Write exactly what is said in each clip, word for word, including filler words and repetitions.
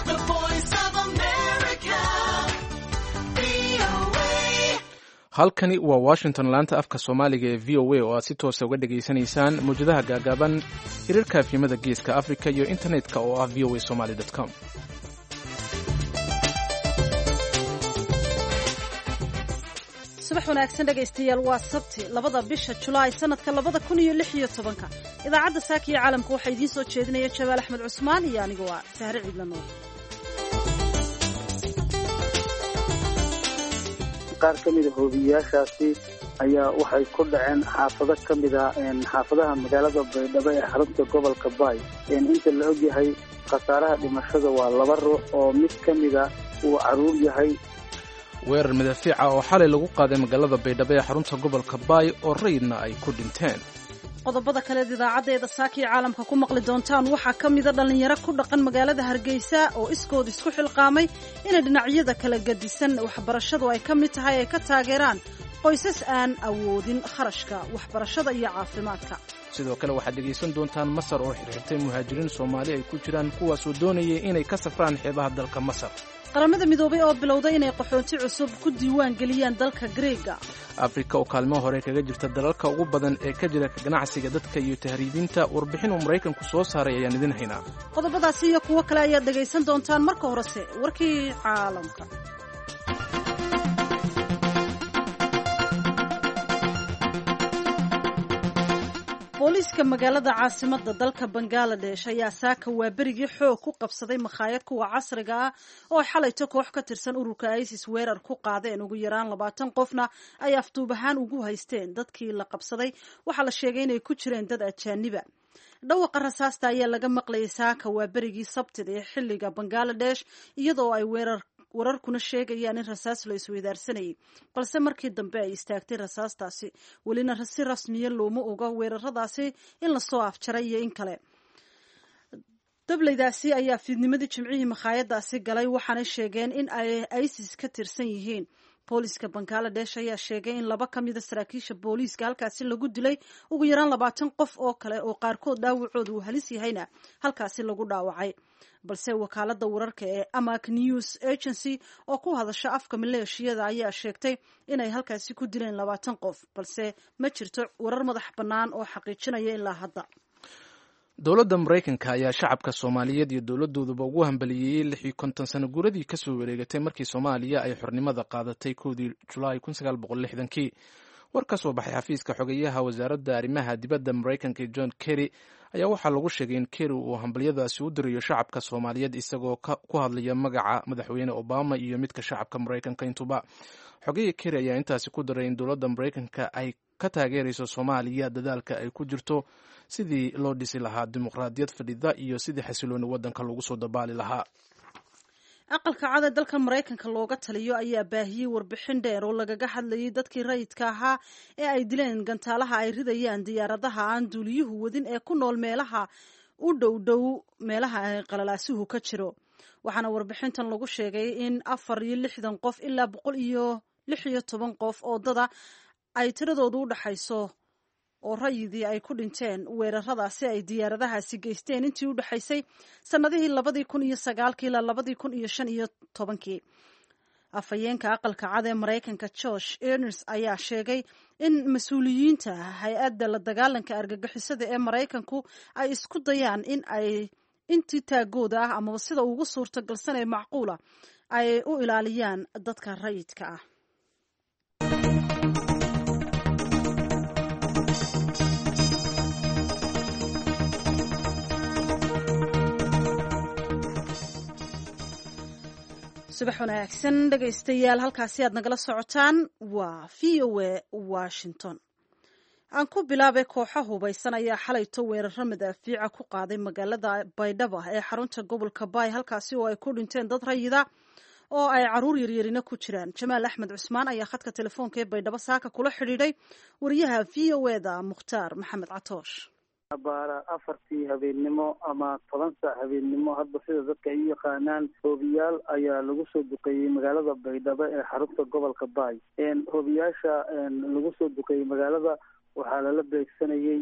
The Voice of America, V O A. Halkani waa Washington, laanta afka Soomaaliga ee V O A oo aad si toosa uga dhegaysanaysaan mawjadaha gaagaaban, hirarka efyimada Geeska Africa iyo internetka oo ah V O A Somali com. Subax wanaagsan, dhegaystayaal. Waa Sabti, labada bisha Julaay, sanadka labada kun iyo lix iyo tobanka. Idaacadda saaka iyo caalamka waxaa idiin soo jeedinaya Jamaal Axmed Cusmaan iyo anigu waa Sahre Ciidla Nuur. Qaar ka mida hoobiyayaashaasi ayaa waxay ku dhaceen xaafado ka mid a xaafadaha magaalada Baydhabo ee xarunta gobolka Baay. Inta la ogyahay, khasaaraha dhimashada waa laba ruux oo mid ka mida uu caruur yahay. Weerar madaafiica oo xalay lagu qaaday magaalada Baydhabo ee xarunta gobolka Baay oo rayidna ay ku dhinteen. Qodobada kaleed idaacaddeeda saaka iyo caalamka ku maqli doontaan waxaa ka mida dhallinyaro ku dhaqan magaalada Hargeysa oo iskood isku xilqaamay inay dhinacyada kala gedisan waxbarashadu ay ka mid tahay ay ka taageeraan qoysas aan awoodin kharashka waxbarashada iyo caafimaadka. Sidoo kale waxaad dhegaysan doontaan Masar oo xirxirtay muhaajiriin Soomaali ay ku jiraan, kuwaasoo doonayay inay ka safraan xeebaha dalka Masar. Qaramada Midoobay oo bilowday inay qaxoonti cusub ku diiwaan geliyaan dalka Greega. Afrika oo kaalmo hore kaga jirta dalalka ugu badan ee ka jira ganacsiga dadka iyo tahriibinta, warbixin uu Maraykanku soo saaray ayaan idin haynaa. Qodobadaasi iyo kuwo kale ayaad dhegaysan doontaan. Marka horese warkii caalamka. Booliiska magaalada caasimadda dalka Bangaladesh ayaa saaka waa berigii xoog ku qabsaday makhaayad kuwa casriga ah oo xalayto koox ka tirsan ururka ISIS weerar ku qaadeen. Ugu yaraan labaatan qofna ay afduub ahaan ugu haysteen. Dadkii la qabsaday waxaa la sheegay inay ku jireen dad ajaaniba. Dhawaqa rasaasta ayaa laga maqlayay saaka waa berigii Sabtida ee xilliga Bangaladesh, iyadoo ay weerar wararkuna sheegayaan in rasaas la isweydaarsanayay, balse markii dambe ay istaagtay rasaastaasi. Welina si rasmiya looma oga weeraradaasi in lasoo afjaray iyo in kale. Dableydaasi ayaa fiidnimadii Jimcihii makhaayadaasi galay, waxaanay sheegeen in ay ISIS ka tirsan yihiin. Booliiska Bangaladesh ayaa sheegay in laba ka mida saraakiisha booliiska halkaasi lagu dilay, ugu yaraan labaatan qof oo kale oo qaarkood dhaawacooda uu halis yahayna halkaasi lagu dhaawacay. Balse wakaalada wararka ee Amaq News Agency oo ku hadasha afka maleeshiyada ayaa sheegtay inay halkaasi ku dileen labaatan qof, balse ma jirto warar madax bannaan oo xaqiijinaya ilaa hadda. Dowladda Maraykanka ayaa shacabka Soomaaliyeed iyo dowladooduba ugu hambaliyeeyey lix iyo konton sano guuradii kasoo wareegatay markii Soomaaliya ay xornimada qaadatay kowdii Julaay kun sagaal boqol lixdankii. War ka soo baxay xafiiska xogeyaha wasaaradda arrimaha dibadda Maraykanka John Kerry ayaa waxaa lagu sheegay in Kerry uu hambalyadaasi u dirayo shacabka Soomaaliyeed isagoo ku hadlaya magaca Madaxweyne Obama iyo midka shacabka Maraykanka intuba. Xogeya Kerry ayaa intaasi ku daray in dowladda Maraykanka ay ka taageerayso Soomaaliya dadaalka ay ku jirto sidii loo dhisi lahaa dimuqraadiyad fadhida iyo sidii xasilooni waddanka lagu soo dabaali lahaa. Aqalka Cad ee dalka Maraykanka looga taliyo ayaa baahiyey warbixin dheer oo lagaga hadlayay dadkii rayidka ahaa ee ay dileen gantaalaha ay ridayaan diyaaradaha aan duuliyuhu wadin ee ku nool meelaha u dhow dhow meelaha ay qalalaasuhu ka jiro. Waxaana warbixintan lagu sheegay in afar iyo lixdan qof ilaa boqol iyo lix iyo toban qof oo dada ay tiradoodu u dhaxayso oo rayidii ay ku dhinteen weeraradaasi ay diyaaradahaasi geysteen intii u dhexaysay sannadihii labadii kun iyo sagaalkii ilaa labadii kun iyo shan iyo tobankii. Afhayeenka Aqalka Cad ee Maraykanka Josh Earnest ayaa sheegay in mas-uuliyiinta hay-adda la dagaalanka argagixisada ee Maraykanku ay isku dayaan in ay intii taagooda ah amaba sida ugu suurtagalsan ee macquula ay u ilaaliyaan dadka rayidka ah. Subax wanaagsan, dhegaystayaal. Halkaasi aad nagala socotaan waa V O A Washington. Aan ku bilaabay, kooxo hubaysan ayaa xalayto weeraro madaafiica ku qaaday magaalada Baydhaba ee xarunta gobolka Baay, halkaasi oo ay ku dhinteen dad rayida oo ay caruur yaryarina ku jiraan. Jamaal Axmed Cusmaan ayaa khadka telefoonka ee Baydhabo saaka kula xidhiidhay wariyaha V O E da Mukhtaar Maxamed Catoosh. Baara afartii habeennimo ama toban saac habeennimo, hadba sida dadka ay u yaqaanaan, hoobiyaal ayaa lagu soo duqeeyey magaalada Baydhabo ee xarunta gobolka Baay. Hoobiyaasha lagu soo duqeeyey magaalada waxaa lala beegsanayey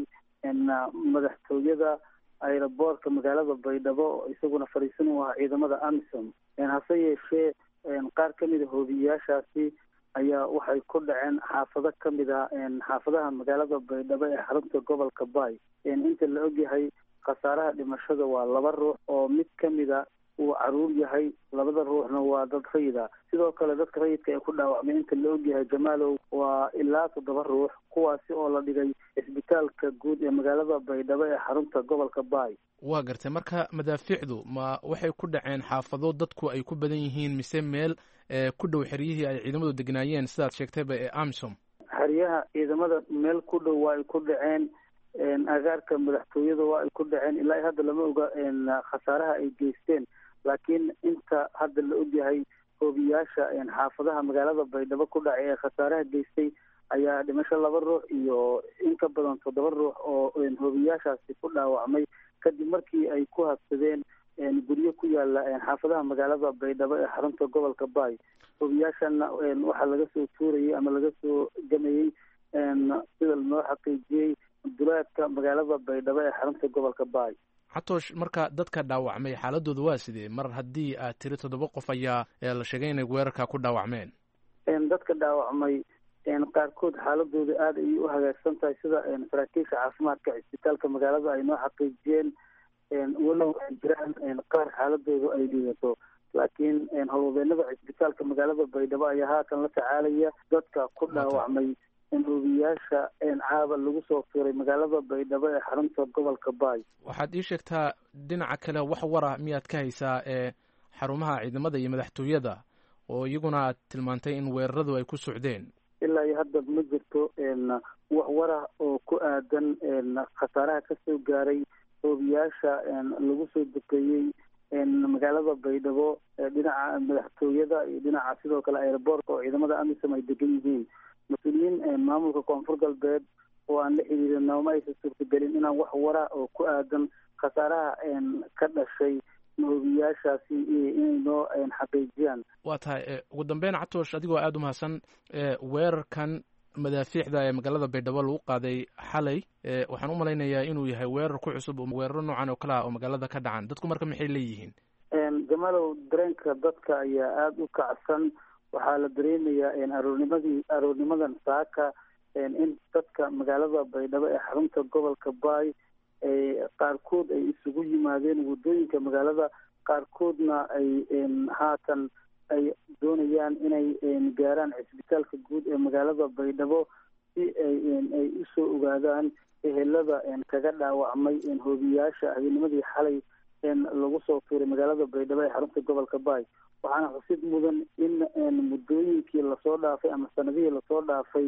madaxtooyada aeroboortka magaalada Baydhabo oo isaguna fariisin u ahaa ciidamada AMISOM. Hase yeeshee qaar ka mid a hoobiyeyaashaasi ayaa waxay ku dhaceen xaafado ka mid a xaafadaha magaalada Baydhabo ee xarunta gobolka Bay. Inta la ogyahay khasaaraha dhimashada waa laba ruux oo mid ka mida uu caruur yahay, labada ruuxna waa dad rayida. Sidoo kale dadka rayidka ee ku dhaawacmay inta la ogyahay, Jamaalow, waa ilaa toddoba ruux, kuwaasi oo la dhigay isbitaalka guud ee magaalada Baydhabo ee xarunta gobolka Bay. Waa gartay. Marka madaafiicdu ma waxay ku dhaceen xaafado dadku ay ku badan yihiin mise meel ku dhow xeryihii ay ciidamadu degnaayeen sidaad sheegtayba ee AMISOM? Xeryaha ciidamada meel ku dhow waa ay ku dhaceen, agaarka madaxtooyada waa ay ku dhaceen. Ilaa hadda lama oga khasaaraha ay geysteen, laakiin inta hadda la ogyahay hoobiyaasha xaafadaha magaalada Baydhabo ku dhacay ee khasaaraha geystay ayaa dhimasho laba ruux iyo in ka badan toddoba ruux oo hoobiyaashaasi ku dhaawacmay kadib markii ay ku habsadeen guryo ku yaala xaafadaha magaalada Baydhabo ee xarunta gobolka Bay. Hoobiyaashana waxaa laga soo tuurayay ama laga soo gamayey, sida lanoo xaqiijiyey, duleedka magaalada Baydhabo ee xarunta gobolka Bay. Xatoosh, marka dadka dhaawacmay xaaladooda waa sidee, mar haddii aad tiri toddoba qof ayaa la sheegay inay weerarka ku dhaawacmeen? Dadka dhaawacmay qaarkood xaaladooda aada ayay u hagaagsan tahay, sida saraakiisha caafimaadka cisbitaalka magaalada ay noo xaqiijiyeen, walow ay jiraan qaar xaaladoodu ay liidato, laakiin howlwadeenada cisbitaalka magaalada Baydhabo ayaa haatan la tacaalaya dadka ku dhaawacmay hoobiyaasha caaba lagu soo tuuray magaalada Baydhabo ee xarunta gobolka Bay. Waxaad ii sheegtaa dhinaca kale, wax wara miyaad ka haysaa ee xarumaha ciidamada iyo madaxtooyada oo iyaguna aad tilmaantay in weeraradu ay ku socdeen? Ilaa iyo hadda ma jirto wax warah oo ku aadan khasaaraha kasoo gaaray hoobiyaasha lagu soo dukeeyey magaalada Baydhabo dhinaca madaxtooyada iyo dhinaca sidoo kale aeroboortka oo ciidamada AMISOM ay degan yihiin. Mas-uuliyiin maamulka Koonfur Galbeed oo aan la xiriirin nooma aysan suurtagelin inaan wax wara oo ku aadan khasaaraha ka dhashay hoobiyaashaasi inay noo xaqiijiyaan. Waa tahay. Ugu dambeyn, Catoosh, adigoo aada u mahadsan, weerarkan madaafiicda ee magaalada Baydhabo lagu qaaday xalay waxaan u malaynayaa inuu yahay weerar ku cusub oo weeraro noocan oo kale ah oo magaalada ka dhacan. Dadku marka maxay leeyihiin? Jamalow, dareenka dadka ayaa aada u kacsan. Waxaa la dareemayaa aroornimadii aroornimadan saaka in dadka magaalada Baydhabo ee xarunta gobolka Bay qaarkood ay isugu yimaadeen waddooyinka magaalada, qaarkoodna ay haatan ay doonayaan inay gaaraan cisbitaalka guud ee magaalada Baydhabo si ay ay usoo ogaadaan ehelada kaga dhaawacmay hoobiyaasha habeennimadii xalay lagu soo tuuray magaalada Baydhabo ee xarunta gobolka Bay. Waxaana xusid mudan in muddooyinkii lasoo dhaafay ama sanadihii lasoo dhaafay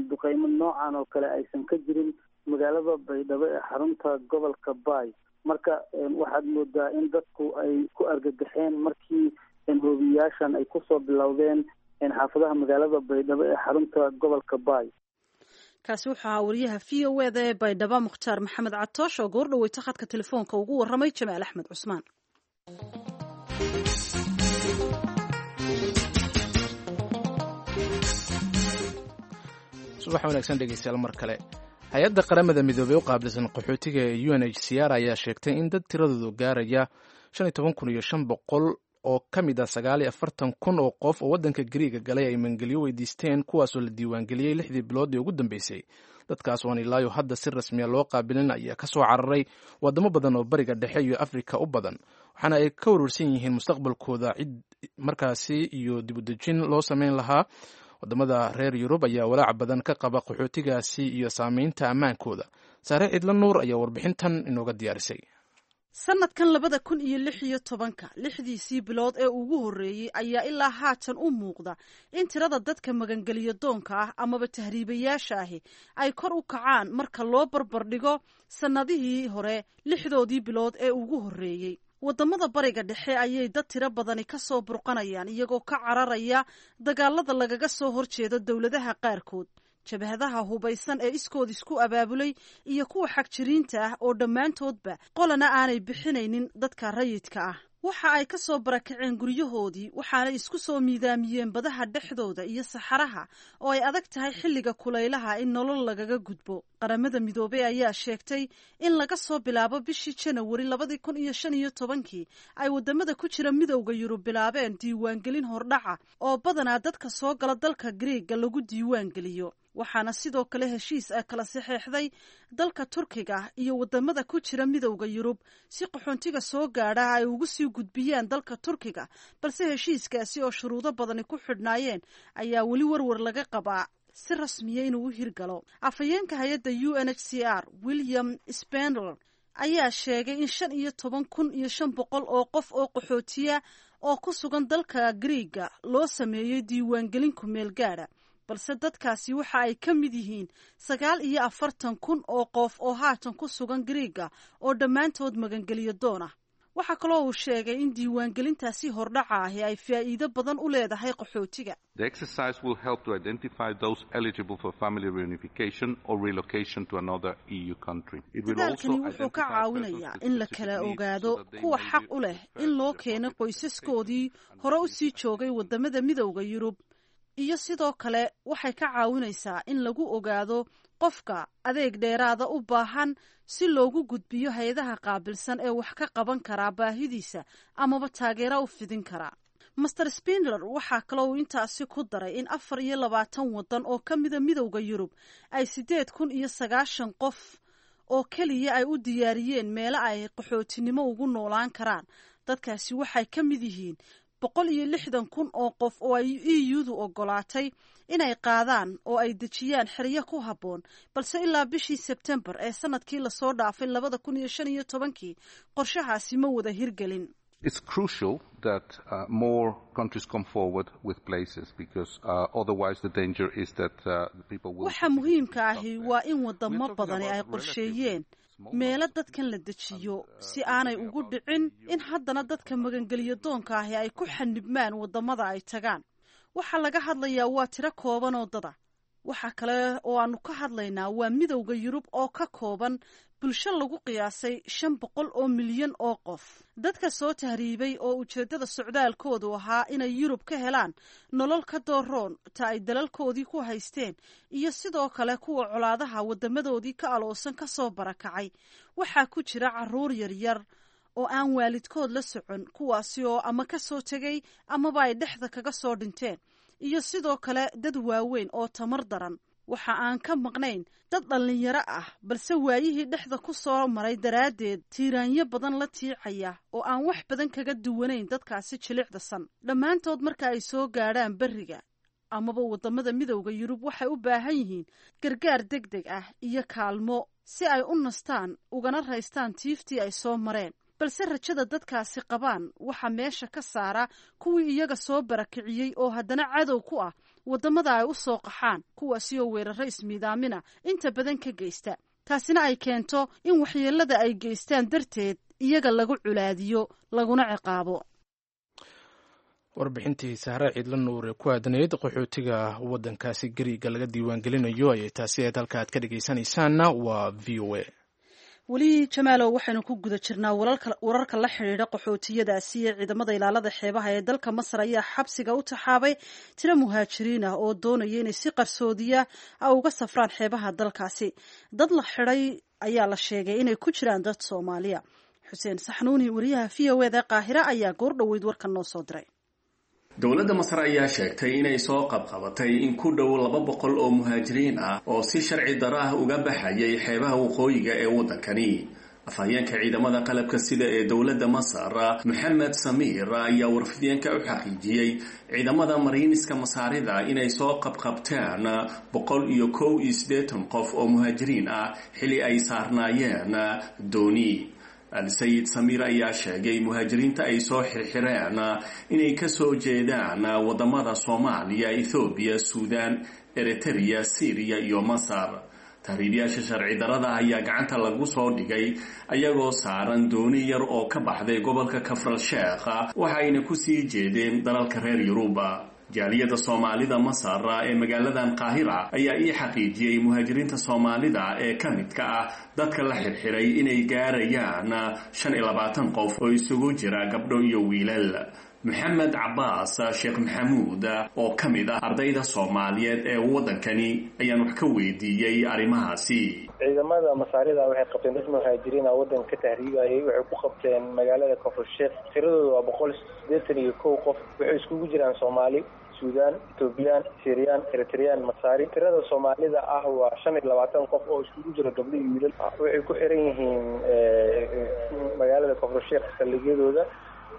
duqeymo noocan oo kale aysan ka jirin magaalada Baydhabo ee xarunta gobolka Bay. Marka waxaad moodaa in dadku ay ku argagaxeen markii hoobiyaashan ay kusoo bilowdeen xaafadaha magaalada Baydhabo ee xarunta gobolka Bay. Kaasi wuxuu ahaa wariyaha V O eda ee Baydhabo, Mukhtaar Maxamed Catoosh, oo goor dhaweyta khadka telefoonka ugu warramay Jamaal Axmed Cusmaan. Subax wanaagsan dhegeystayaal mar kale. Hay-adda Qaramada Midoobey u qaabilsan qaxootiga ee U N H C R ayaa sheegtay in dad tiradoodu gaaraya shan iyo toban kun iyo shan boqol oo ka mid ah sagaal iyo afartan kun oo qof oo waddanka Gariiga galay ay mangelyo weydiisteen, kuwaasoo la diiwaangeliyey lixdii bilood ee ugu dambeysay. Dadkaas oon ilaayo hadda si rasmiya loo qaabilin ayaa ka soo cararay waddamo badan oo Bariga Dhexe iyo Afrika u badan, waxaana ay ka warwarsan yihiin mustaqbalkooda cid markaasi iyo dibudejin loo sameyn lahaa. Wadamada reer Yurub ayaa walaac badan ka qaba qaxootigaasi iyo saameynta ammaankooda. Saare Cidla Nuur ayaa warbixintan inooga diyaarisay. Sanadkan labada kun iyo lix iyo tobanka lixdiisii bilood ee ugu horreeyey ayaa ilaa haatan u muuqda in tirada dadka magangeliyo doonka ah amaba tahriibayaasha ahi ay kor u kacaan marka loo barbardhigo sannadihii hore lixdoodii bilood ee ugu horreeyey. Wadamada Bariga Dhexe ayay dad tiro badani ka soo burqanayaan, iyagoo ka cararaya dagaalada lagaga soo horjeedo dowladaha qaarkood, jabhadaha hubaysan ee iskood isku abaabulay iyo kuwa xagjiriinta ah oo dhammaantoodba qolana aanay bixinaynin dadka rayidka ah. Waxa ay ka soo barakaceen guryahoodii, waxaana isku soo miidaamiyeen badaha dhexdooda iyo saxaraha oo ay adag tahay xilliga kulaylaha in nolol lagaga gudbo. Qaramada Midoobey ayaa sheegtay in laga soo bilaabo bishii Janawari labadii kun iyo shan iyo tobankii ay wadamada ku jira Midowda Yurub bilaabeen diiwaangelin hordhaca oo badanaa dadka soo gala dalka Griiga lagu diiwaangeliyo. Waxaana sidoo kale heshiis ah kala saxeexday dalka Turkiga iyo wadamada ku jira Midowda Yurub si qaxoontiga soo gaadha ay ugu sii gudbiyaan dalka Turkiga, balse heshiiskaasi oo shuruudo badani ku xidhnaayeen ayaa weli warwar laga qabaa si rasmiya inuu u hirgalo. Afhayeenka hay-adda U N H C R, William Spindler, ayaa sheegay in shan iyo toban kun iyo shan boqol oo qof oo qaxootiya oo ku sugan dalka Griiga loo sameeyey diiwaangelin kumeel gaadha, balse dadkaasi waxa ay ka mid yihiin sagaal iyo afartan kun oo qof oo haatan ku sugan Griiga oo dhammaantood magangeliyo doon ah. Waxaa kaloo uu sheegay in diiwaangelintaasi hordhaca ahi ay faa'iido badan u leedahay qaxootiga. The exercise will help to identify those eligible for family reunification or relocation to another E U country. Dadaalkani wuxuu ka caawinayaa in la kala ogaado kuwa xaq u leh in loo keeno qoysaskoodii hore u sii joogay wadamada Midowda Yurub, iyo sidoo kale waxay ka caawinaysaa in lagu ogaado qofka adeeg dheeraada u baahan si loogu gudbiyo hay-adaha qaabilsan ee wax ka qaban karaa baahidiisa amaba taageero u fidin karaa. Mister Spindler waxaa kaloo uu intaasi ku daray in afar iyo labaatan waddan oo ka mida Midowda Yurub ay siddeed kun iyo sagaashan qof oo keliya ay u diyaariyeen meelo ay qaxootinimo ugu noolaan karaan. Dadkaasi waxay ka mid yihiin boqol iyo lixdan kun oo qof oo ay E U-du ogolaatay inay qaadaan oo ay dejiyaan xeryo ku habboon, balse ilaa bishii Sebtembar ee sanadkii lasoo dhaafay labada kun iyo shan iyo tobankii qorshahaasi ma wada hirgelin. It's crucial that uh, more countries come forward with places because uh, otherwise the danger is that uh, the people will. Waxa muhiimka ahi waa in wadamo badani ay qorsheeyeen meelo dadkan la dejiyo si aanay ugu dhicin in haddana dadka magangeliyo doonka ahi ay ku xanibmaan wadamada ay tagaan. Waxaa laga hadlayaa waa tiro kooban oo dada. Waxa kale oo aanu ka hadlaynaa waa Midowda Yurub oo ka kooban bulsho lagu qiyaasay shan boqol oo milyan oo qof. Dadka soo tahriibay oo ujeeddada socdaalkoodu ahaa inay Yurub ka helaan nolol ka dooroon ta ay dalalkoodii ku haysteen, iyo sidoo kale kuwa colaadaha wadamadoodii ka aloosan ka soo barakacay, waxaa ku jira caruur yaryar oo aan waalidkood la socon, kuwaasi oo ama ka soo tegay amaba ay dhexda kaga soo dhinteen, iyo sidoo kale dad waaweyn oo tamar daran. Waxa aan ka maqnayn dad dhallinyaro ah, balse waayihii dhexda ku soo maray daraaddeed tiiraanyo badan la tiicaya oo aan wax badan kaga duwanayn dadkaasi jilicdasan. Dhammaantood marka ay soo gaadhaan berriga amaba waddamada Midowda Yurub waxay u baahan yihiin gargaar deg deg ah iyo kaalmo si ay u nastaan ugana raystaan tiiftii ay soo mareen. Balse rajada dadkaasi qabaan waxaa meesha ka saara kuwii iyaga soo barakiciyey oo haddana cadow ku ah waddamada ay u soo qaxaan, kuwaasi oo weeraro ismiidaamina inta badan ka geysta, taasina ay keento in waxyeelada ay geystaan darteed iyaga lagu culaadiyo laguna ciqaabo. Warbixintii Sahre Ciidla Nuur ee ku aadanayd qaxootiga waddankaasi Gariiga laga diiwaangelinayo ayay taasi ahayd. Halka aad ka dhegaysanaysaanna waa V O A. Weli, Jamaalow, waxaynu ku guda jirnaa wararka la xidhiidha qaxootiyadaasi iyo ciidamada ilaalada xeebaha ee dalka Masar ayaa xabsiga u taxaabay tiro muhaajiriin ah oo doonaya inay si qarsoodiya uga safraan xeebaha dalkaasi. Dad la xidhay ayaa la sheegay inay ku jiraan dad Soomaaliya. Xuseen Saxnuuni, wariyaha V O E da Qaahira, ayaa goor dhoweyd warkan noo soo diray. Dowladda Masar ayaa sheegtay inay soo qabqabatay in ku dhow laba boqol oo muhaajiriin ah oo si sharci daro ah uga baxayay xeebaha waqooyiga ee waddankani. Afhayeenka ciidamada qalabka sida ee dowladda Masar, Maxamed Samiir, ayaa warfideenka u xaqiijiyey ciidamada mariiniska Masaarida inay soo qabqabteen boqol iyo kow iyo siddeetan qof oo muhaajiriin ah xili ay saarnaayeen dooni. Al-Sayid Samiir ayaa sheegay muhaajiriinta ay soo xirxireen inay ka soo jeedaan wadamada Soomaaliya, Ethoobiya, Suudaan, Eritereya, Syriya iyo Masar. Tahriibyaasha sharci darada ayaa gacanta lagu soo dhigay ayagoo saaran dooni yar oo ka baxday gobolka Kafral Sheekh, waxayna kusii jeedeen dalalka reer Yuruba. Jaaliyadda Soomaalida Masar ee magaaladan Qaahira ayaa ii xaqiijiyey muhaajiriinta Soomaalida ee ka midka ah dadka la xirxiray inay gaarayaan shan iyo labaatan qof oo isugu jira gabdho iyo wiilal. Maxamed Cabaas Sheekh Maxamuud oo ka mid ah ardayda Soomaaliyeed ee waddankani ayaan wax ka weydiiyey arrimahaasi. Ciidamada Masaarida waxay qabteen dad muhaajiriin ah waddanka ka tahriibayay. Waxay ku qabteen magaalada Koonfur Sheekh. Tiradooda waa boqol siddeetan iyo kow qof. Waxay iskugu jiraan Soomaali, Suudaan, Etoobiyaan, Siiriyaan, Eritreyaan, Masaari. Tirada Soomaalida ah waa shan iyo labaatan qof oo iskugu jira gabdho iyo wiilal. Waxay ku xiran yihiin magaalada Koonfur Sheekh saldhigyadooda.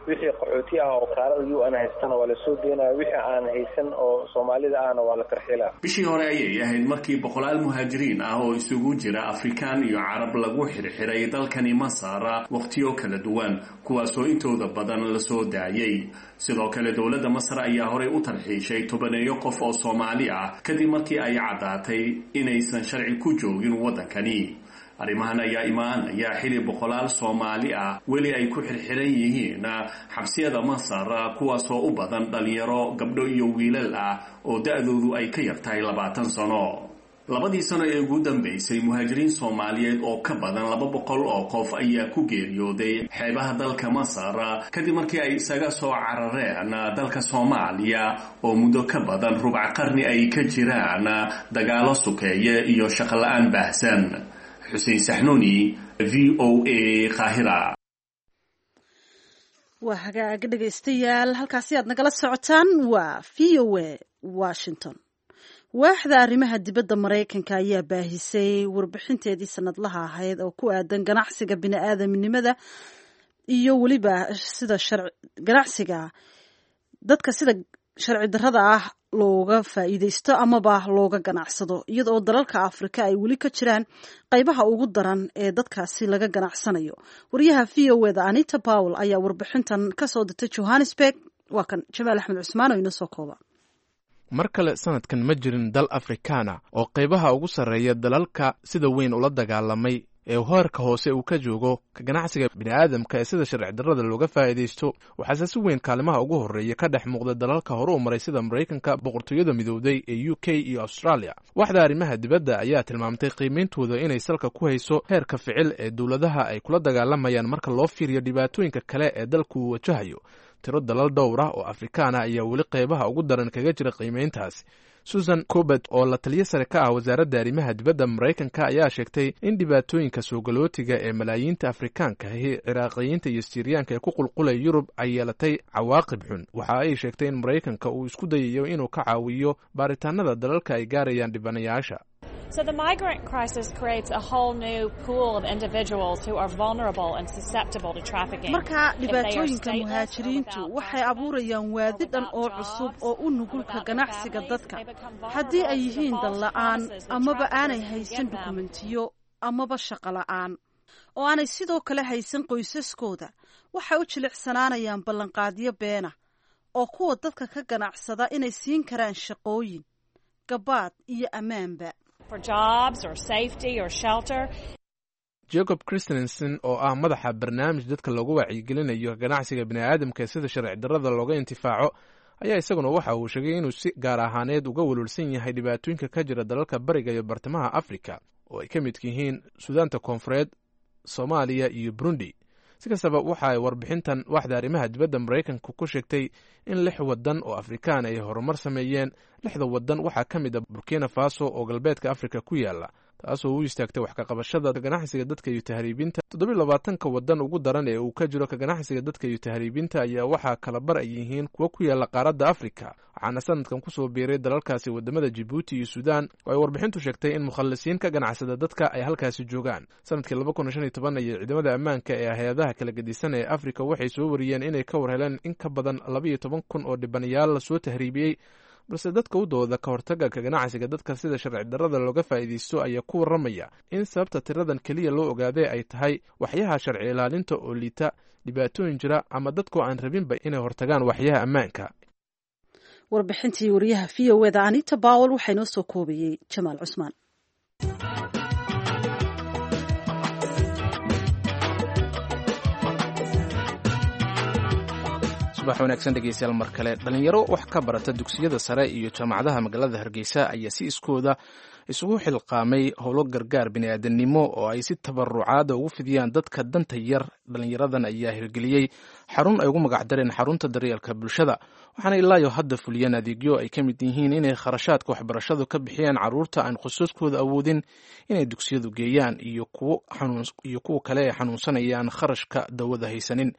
Wixii qaxooti ah oo kaarada U N haystana waa lasoo geenaya, wixii aan haysan oo Soomaalida ahna waa la tarxiilaa. Bishii hore ayay ahayd markii boqolaal muhaajiriin ah oo isugu jira Afrikaan iyo Carab lagu xirxiray dalkani Masar wakhtiyo kala duwan, kuwaasoo intooda badan lasoo daayay. Sidoo kale dowladda Masar ayaa horey u tarxiishay tobaneeyo qof oo Soomaali ah kadib markii ay caddaatay inaysan sharci ku joogin waddankani. Arrimahan ayaa imaanaya xili boqolaal Soomaali ah weli ay ku xirxiran yihiin xabsiyada Masar, kuwaasoo u badan dhalinyaro gabdho iyo wiilal ah oo da-doodu ay ka yartahay labaatan sano. Labadii sano ee ugu dambeysay, muhaajiriin Soomaaliyeed oo ka badan laba boqol oo qof ayaa ku geeriyooday xeebaha dalka Masar kadib markii ay isaga soo carareen dalka Soomaaliya oo muddo ka badan rubc qarni ay ka jiraan dagaalo sukeeye iyo shaqo la-aan baahsan. Xuseen Saxnuuni, V O A, Qaahira. Waa hagaag, dhegaystayaal, halkaasi aad nagala socotaan waa V O A Washington. Waaxda arrimaha dibadda Maraykanka ayaa baahisay warbixinteedii sanadlaha ahayd oo ku aadan ganacsiga bini-aadamnimada iyo weliba sida ganacsiga dadka sida sharci darrada ah looga faa'iidaysto amaba looga ganacsado, iyadoo dalalka Afrika ay weli ka jiraan qaybaha ugu daran ee dadkaasi laga ganacsanayo. Wariyaha V O A da Anita Powell ayaa warbixintan kasoo dirtay Johannesburg. Waa kan Jamaal Axmed Cusmaan oo inoo soo kooba. Mar kale sanadkan ma jirin dal Afrikaana oo qaybaha ugu sarreeya dalalka sida weyn ula dagaalamay ee heerka hoose uu ka joogo ka ganacsiga bini'aadamka ee sida sharci darrada looga faa'iidaysto. Waxaase si weyn kaalimaha ugu horreeya ka dhex muuqda dalalka hore u maray sida Maraykanka, Boqortooyada Midowday ee U K iyo Australia. Waxda arrimaha dibadda ayaa tilmaamtay qiimeyntooda inay salka ku hayso heerka ficil ee dowladaha ay kula dagaalamayaan marka loo fiiriyo dhibaatooyinka kale ee dalku uu wajahayo. Tiro dalal dhowr ah oo Afrikaan ah ayaa weli qaybaha ugu daran kaga jira qiimeyntaasi. Susan Cobet oo la taliyo sare ka ah wasaaradda arrimaha dibadda Maraykanka ayaa sheegtay in dhibaatooyinka soogaloutiga ee malaayiinta Afrikaanka ahi, Ciraaqiyiinta iyo Siiriyaanka ee ku qulqulaya Yurub ay yeelatay cawaaqib xun. Waxa ay sheegtay in Maraykanka uu isku dayayo inuu ka caawiyo baaritaanada dalalka ay gaarayaan dhibanayaasha. So the migrant crisis creates a whole new pool of individuals who are vulnerable and susceptible to trafficking. Marka dhibaatooyinka muhaajiriintu waxay abuurayaan waadi dhan oo cusub oo u nugulka ganacsiga dadka. Haddii ay yihiin dal la'aan amaba aanay haysan dukumentiyo amaba shaqo la'aan oo aanay sidoo kale haysan qoysaskooda, waxay u jilicsanaanayaan ballanqaadyo beena oo kuwa dadka ka ganacsada inay siin karaan shaqooyin, gabaad iyo ammaanba. For jobs or safety or shelter. Jacob Christensen oo ah madaxa barnaamij dadka loogu wacyigelinayo ganacsiga bini'aadamka ee sida sharci darrada looga intifaaco ayaa isaguna waxa uu sheegay inuu si gaar ahaaneed uga welwelsan yahay dhibaatooyinka ka jira dalalka bariga iyo bartamaha Afrika oo ay ka midka yihiin Suudaanta Koonfureed, Soomaaliya iyo Burundi. Si kastaba, waxa ay warbixintan waaxda arrimaha dibadda Maraykanka ku sheegtay in lix waddan oo Afrikaan ay horumar sameeyeen. Lixda waddan waxaa ka mid a Burkina Faso oo galbeedka Afrika ku yaala, taasoo u istaagtay wax ka qabashada ganacsiga dadka iyo tahriibinta. Toddobiyo labaatanka waddan ugu daran ee uu ka jiro ka ganacsiga dadka iyo tahriibinta ayaa waxaa kala bar ay yihiin kuwo ku yaala qaaradda Afrika, waxaana sanadkan kusoo biiray dalalkaasi wadamada Jibuuti iyo Suudaan oo ay warbixintu sheegtay in mukhalisiin ka ganacsada dadka ay halkaasi joogaan. Sanadkii laba kun shan iyo toban ayay ciidamada ammaanka ee hay-adaha kala gedisan ee Afrika waxay soo wariyeen inay ka war heleen in ka badan labaiyo toban kun oo dhibanayaal lasoo tahriibiyey. Balse dadka u dooda ka hortagga ka ganacsiga dadka sida sharci darrada looga faa'iidaysto ayaa ku warramaya in sababta tiradan keliya loo ogaaday ay tahay waxyaha sharci ilaalinta oo liita, dhibaatooyin jira ama dadkoo aan rabinba inay hortagaan waxyaha ammaanka. Warbixintii wariyaha V O A da Anita Powell waxaa inoo soo koobayey Jamaal Cusmaan. Subax wanaagsan dhegeystayaal mar kale. Dhalinyaro wax ka barata dugsiyada sare iyo jaamacadaha magaalada Hargeysa ayaa si iskooda isugu xilqaamay howlo gargaar bini'aadanimo oo ay si tabarucaada ugu fidiyaan dadka danta yar. Dhalinyaradan ayaa hirgeliyey xarun ay ugu magacdareen xarunta daryeelka bulshada, waxaana ilaayo hadda fuliyeen adeegyo ay ka mid yihiin inay kharashaadka waxbarashadu ka bixiyaan carruurta aan khusuuskooda awoodin inay dugsiyadu geeyaan iyo kuwa kale ee xanuunsanayaan kharashka dawada haysanin.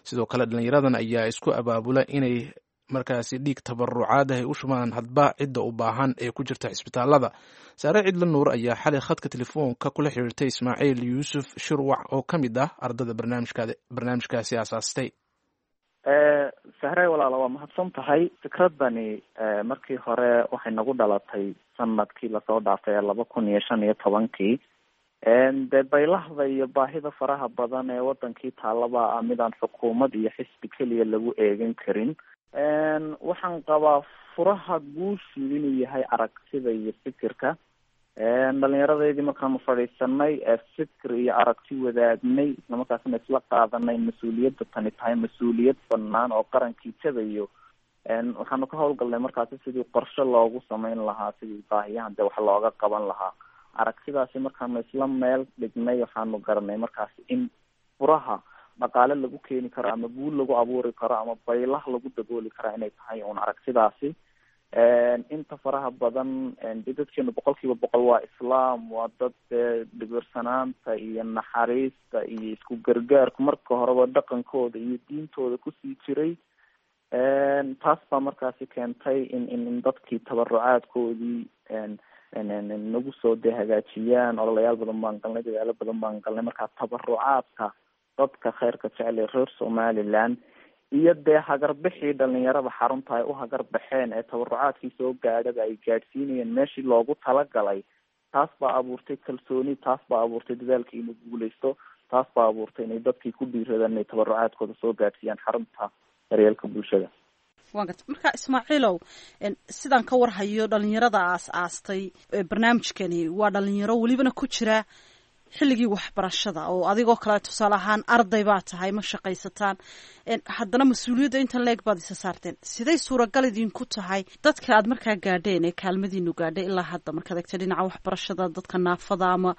Sidoo kale dhalinyaradan ayaa isku abaabula inay markaasi dhiig tabarucaad ay u shubaan hadba cidda u baahan ee ku jirta cisbitaalada. Saare Cidla Nuur ayaa xalay khadka telefoonka kula xiriirtay Ismaaciil Yuusuf Shirwac oo ka mid ah ardada barnaamijkaasi aasaastay. Sahre walaala, waa mahadsan tahay. Fikradani markii hore waxay nagu dhalatay sanadkii lasoo dhaafay ee laba kun iyo shan iyo tobankii. Dee baylahda iyo baahida faraha badan ee wadankii taalaba ah midaan xukuumad iyo xisbi keliya lagu eegan karin. Waxaan qabaa furaha guushu inuu yahay aragtida iyo fikirka. Dhalinyaradeydii markaanu fadhiisanay fikir iyo aragti wadaagnay, islamarkaasna isla qaadanay mas-uuliyadda tani tahay mas-uuliyad banaan oo qarankii tabayo. Waxaanu ka howlgalnay markaasi sidii qorshe loogu sameyn lahaa, sidii baahiyahan dee wax looga qaban lahaa. Aragtidaasi markaanu isla meel dhignay, waxaanu garanay markaasi in furaha dhaqaale lagu keeni karo ama guul lagu abuuri karo ama baylah lagu dabooli karo inay tahay uun aragtidaasi. Inta faraha badan de dadkeenu boqol kiiba boqol waa islaam, waa dad dee dhibirsanaanta iyo naxariista iyo isku gargaarku marka horeba dhaqankooda iyo diintooda kusii jiray. Taas baa markaasi keentay in in in dadkii tabarucaadkoodii nagu soo dee hagaajiyaan. Ololayaal badan baan galnay, dadaalo badan baan galnay. Markaa tabarucaadka dadka khayrka jecel ee reer Somaliland iyo dee hagarbixii dhalinyarada xarunta ay u hagarbaxeen ee tabarucaadkii soo gaadhaba ay gaadhsiinayeen meeshii loogu talagalay, taas baa abuurtay kalsooni, taas baa abuurtay dadaalkii inuu guuleysto, taas baa abuurtay inay dadkii ku dhiiradaan inay tabarucaadkooda soo gaadhsiiyaan xarunta daryeelka bulshada. Waan garta. Marka Ismaaciilow, sidaan ka warhayo dhalinyarada aas aastay barnaamijkani waa dhalinyaro welibana ku jira xilligii waxbarashada, oo adigoo kale tusaale ahaan arday baa tahay, ma shaqaysataan, haddana mas-uuliyadda intan leeg baad isa saarteen. Siday suuragal idinku tahay dadka aad markaa gaadheen ee kaalmadiinu gaadhay ilaa hadda, markaad egta dhinaca waxbarashada, dadka naafada ama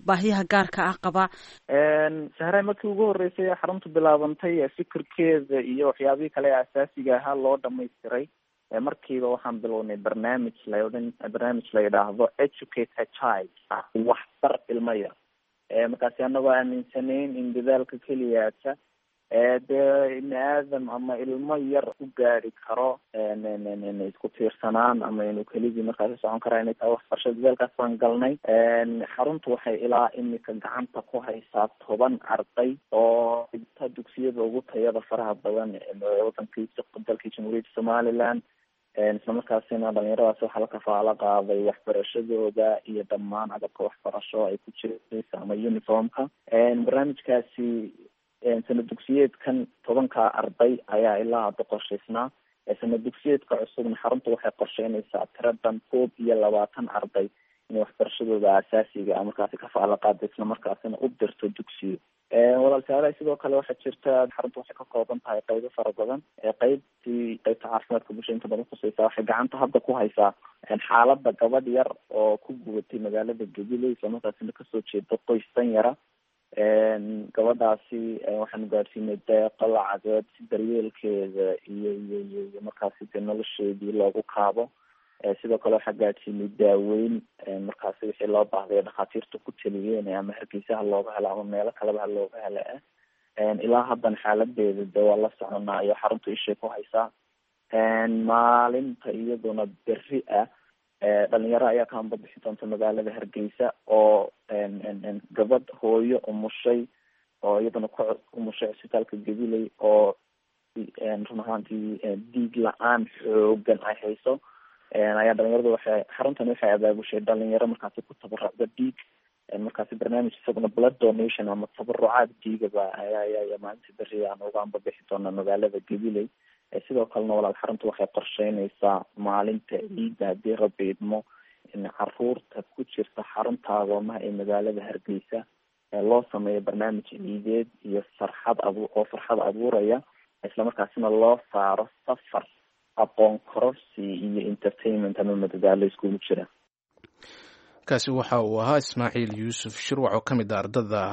baahiyaha gaarka ah qaba? Sahre, markii ugu horreysay ee xaruntu bilaabantay ee fikirkeeda iyo waxyaabihii kale ee asaasiga ahaa loo dhamaystiray, markiiba waxaan bilownay barnaamij la odhan barnaamij la yidhaahdo Educate a Child, waxbar ilmo yar. Markaasi anagoo aaminsanayn in dadaalka keliyaata dee ibni aadam ama ilmo yar ku gaadi karo isku tiirsanaan ama inuu keligii markaasi socon karaa inay tahay waxbarashada, dadaalkaas baan galnay. Xaruntu waxay ilaa imika gacanta ku haysaa toban arday oo dhigta dugsiyada ugu tayada faraha badan wadankii dalkii Jamhuuriyadda Somaliland. Islamarkaasina dhalinyaradaasi waxaa la kafaalo qaaday waxbarashadooda iyo dhammaan agabka waxbarasho ay ku jiraysa ama uniformka. Barnaamijkaasi sanad dugsiyeedkan tobanka arday ayaa ilaa hadda qorshaysnaa. Sanad dugsiyeedka cusubna xaruntu waxay qorsheynaysaa tiro dhan koob iyo labaatan arday inay waxbarashadooda asaasiga ah markaasi kafaalo qaada, islamarkaasina u dirto dugsiyo. Walaal saalahay, sidoo kale waxaa jirta xaruntu waxay ka kooban tahay qeybo fara badan. Qeybtii qeybta caafimaadka bulshada inta badan khuseysa waxay gacanta hadda ku haysaa xaaladda gabadh yar oo ku gubatay magaalada Gabiley, islamarkaasina kasoo jeeda qoys dan yara. Gabadhaasi waxaanu gaadhsiinay deeqo lacageed si daryeelkeeda iyo iyo iyo iyo markaasi dee nolosheedii loogu kaabo. Sidoo kale waxaa gaadhsiinay daaweyn markaasi wixii loo baahday dhakhaatiirta ku taliyeen, ama Hargeysa ha looga helo ama meelo kaleba ha looga helo. Ilaa haddan xaaladeeda de waa la soconaa iyo xaruntu ishay ku haysaa. Maalinta iyaduna berri ah dhalinyaro ayaa ka ambabixi doonta magaalada Hargeysa oo gabadh hooyo umushay oo iyaduna ku umushay cisbitaalka Gabiley oo run ahaantii dhiig la-aan xoogan ay hayso ayaa dhalinyaradu waxay xaruntani waxay abaabushay dhalinyaro markaasi ku tabarucda dhiig. Markaasi barnaamij isaguna blood donation ama tabarucaad dhiigaba ayaa ayaa maalinta berri aan uga ambabixi doonaa magaalada Gabiley. Sidoo kalena walaal, xaruntu waxay qorsheynaysaa maalinta ciidda haddii Rabbi idmo in caruurta ku jirta xarunta agoomaha ee magaalada Hargeysa loo sameeyo barnaamij ciideed iyo farxad abu oo farxad abuuraya. islamarkaasina loo saaro safar aqoon kororsi iyo entertainment ama madadaalo iskugu jira. Kaasi waxa uu ahaa Ismaaciil Yuusuf Shirwac oo ka mid ah ardada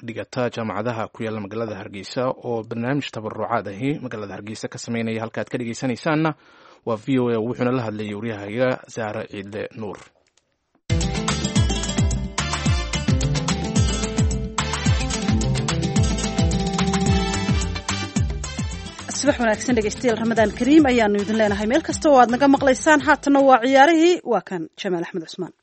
dhigata jaamacadaha ku yaalla magaalada Hargeysa oo barnaamij tabarucaad ahi magaalada Hargeysa ka sameynaya. Halka aad ka dhegeysanaysaanna waa V O A, wuxuuna la hadlayay waryahaga Saare Ciidle Nuur. Subax wanaagsan dhegeystayaal, Ramadaan Kariim ayaanu idin leenahay meel kasta oo aad naga maqlaysaan. Haatanna waa ciyaarihii, waa kan Jamaal Axmed Cusmaan.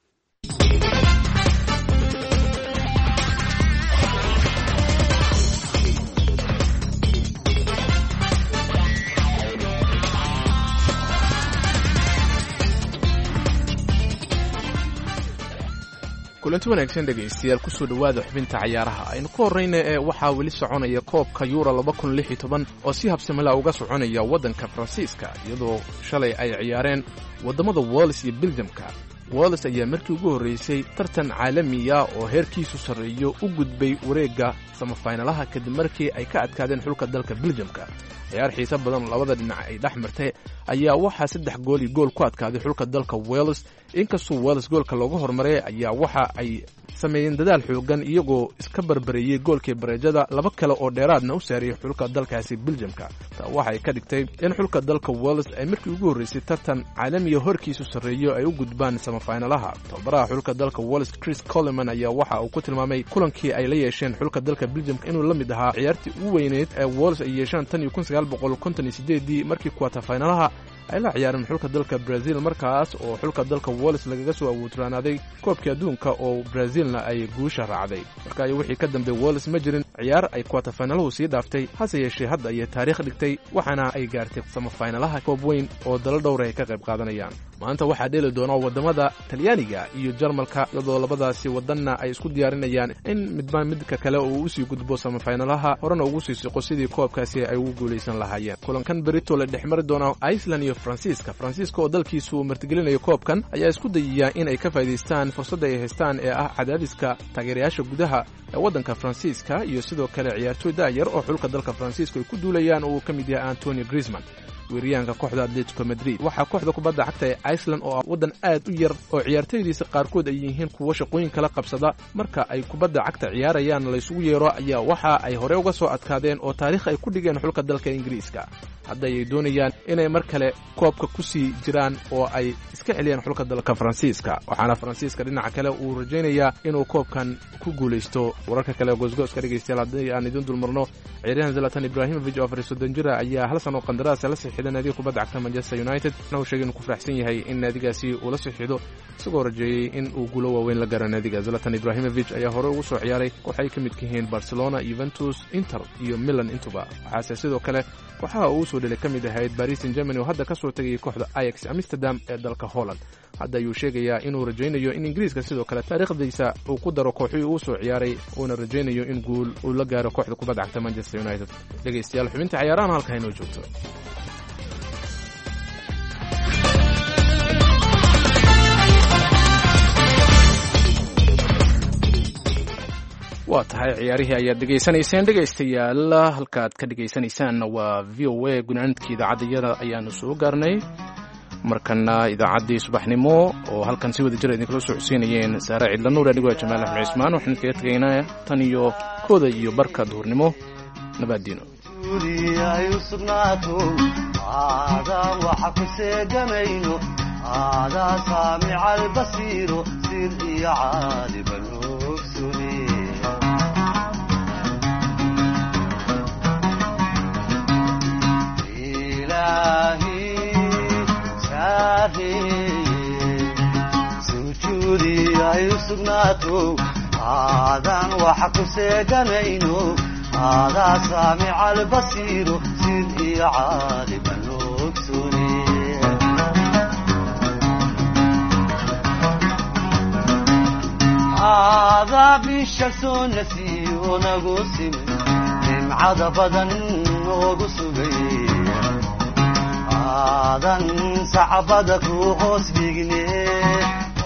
Kulanti wanaagsan dhegaystayaal, kusoo dhowaada xubinta cayaaraha. Aynu ku horrayna ee waxaa weli soconaya koobka Yuura laba kun lix iyo toban oo si habsamila uga soconaya waddanka Faransiiska, iyadoo shalay ay ciyaareen waddamada Wales iyo Beljamka. Wales ayaa markii ugu horraysay tartan caalamiya oo heerkiisu sarreeyo u gudbay wareegga samafaynalaha kadib markii ay ka adkaadeen xulka dalka Beljamka. Ciyaar xiise badan labada dhinac ay dhex martay ayaa waxaa saddex gool iyo gool ku adkaaday xulka dalka Wales. Inkastoo Wales goolka looga hormaray ayaa waxa ay sameeyeen dadaal xoogan, iyagoo iska barbareeyey goolkii bareejada, laba kale oo dheeraadna u saariyey xulka dalkaasi Beljamka. Taa waxay ka dhigtay in xulka dalka Wales ay markii ugu horraysay tartan caalamiya horkiisu sarreeyo ay u gudbaan samafaynalaha. Tababaraha xulka dalka Wales Chris Coleman ayaa waxa uu ku tilmaamay kulankii ay la yeesheen xulka dalka Beljamka inuu la mid ahaa ciyaartii ugu weyneyd ee Wales ay yeeshaan tan iyo kun sagaal boqol konton iyo sideedii markii kwatafaynalaha ay la ciyaareen xulka dalka Brazil, markaas oo xulka dalka Wales lagaga soo awoodраanaaday koobkii adduunka oo Brazilna ay guusha raacday. Marka ay wixii ka dambeeyay Wales ma jirin ciyaar ay kwatafaynalahu sii dhaaftay, hase yeeshee hadda ayay taariikh dhigtay, waxaana ay gaartay samafaynalaha koob weyn oo dalo dhowr ay ka qayb qaadanayaan. Maanta waxaa dheeli doona waddamada Talyaaniga iyo Jarmalka, iyadoo labadaasi wadanna ay isku diyaarinayaan in midba midka kale uu usii gudbo samafaynalaha, horena ugu sii siqo sidii koobkaasi ay ugu guulaysan lahaayeen. Kulankan berito la dhex mari doona Iceland iyo Faransiiska. Faransiiska oo dalkiisu uu martigelinayo koobkan ayaa isku dayaya in ay ka faa'iidaystaan fursadda ay haystaan ee ah cadaadiska taageerayaasha gudaha ee waddanka Faransiiska iyo sidoo kale ciyaartoy daayar oo xulka dalka Faransiiska ay ku duulayaan oo uu ka mid yahay Antonio Griezmann, weeryahanka kooxda Atletico Madrid. Waxaa kooxda kubadda cagta ee Iceland oo ah waddan aad u yar oo ciyaartoydiisa qaarkood ay yihiin kuwo shaqooyin kala qabsada marka ay kubadda cagta ciyaarayaan laysugu yeero, ayaa waxa ay hore uga soo adkaadeen oo taariikh ay ku dhigeen xulka dalka Ingiriiska. Hadda ayay doonayaan inay mar kale koobka ku sii jiraan oo ay iska celiyaan xulka dalka Faransiiska, waxaana Faransiiska dhinaca kale uu rajaynayaa inuu koobkan ku guulaysto. Wararka kale ee goosgooska dhegaystayaal, haddii aan idin dulmarno, ciyaaryahan Zlatan Ibrahimovic oo afar iyo soddon jir ah ayaa hal sano qandaraas la saxiixday naadiga kubadda cagta Manchester United. Waxaana uu sheegay inuu ku faraxsan yahay in naadigaasi uu la saxiixdo, isagoo rajeeyey in uu guulo waaweyn la gaaro naadiga. Zlatan Ibrahimovic ayaa hore ugu soo ciyaaray koox ay ka midka yihiin Barcelona, Juventus, Inter iyo Milan intuba. Waxaase sidoo kale kooxaha uu soo dhelay ka mid ahayd Paris Saint-Germain oo hadda ka soo tegayay kooxda Ajax Amsterdam ee dalka Holland. Hadda ayuu sheegayaa inuu rajaynayo in Ingiriiska sidoo kale taariikhdiisa uu ku daro kooxihii uu soo ciyaaray, uuna rajaynayo in guul uu la gaaro kooxda kubadda cagta Manchester United. Dhegaystayaal, xubinta ciyaarahan halka inoo joogto. Waa tahay, ciyaarihii ayaad dhegaysanayseen dhegaystayaal. Halkaad ka dhegaysanaysaanna waa V O A. Gunaanadkii idaacaddayada ayaanu soo gaarnay, markana idaacaddii subaxnimo oo halkan si wada jira idinkala soo xuseynayeen Saare Cidla Nuur, anigoo Jamaal Axmed Cismaan. Waxaan idinkaga tegaynaa tan iyo kooda iyo barka duhurnimo. Nabaddiino. Ay u sugnaato aadaa waxa ku seegamayno, aadaa saamica albasiiro sir iyo caaliban ogsune. Ilaahi saareye sujuudi ay u sugnaato aadaan waxa ku seeganayno, aadaa saamica albasiiro sir iyo caaliban ogsune. Aadaa bisha soo nasiyo nagu simay nimcada badan noogu sugay, aadan sacbada ku hoos dhigne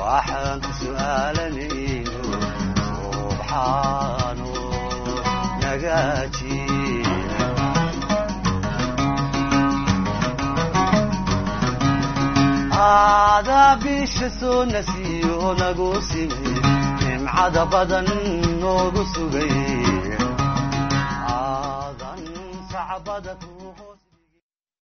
waxaan ku su'aalanayno subxaano nagaaji. Adaa bisha soo nasiyo nagu simay, nimcada badan noogu sugay, aadan sacbada ku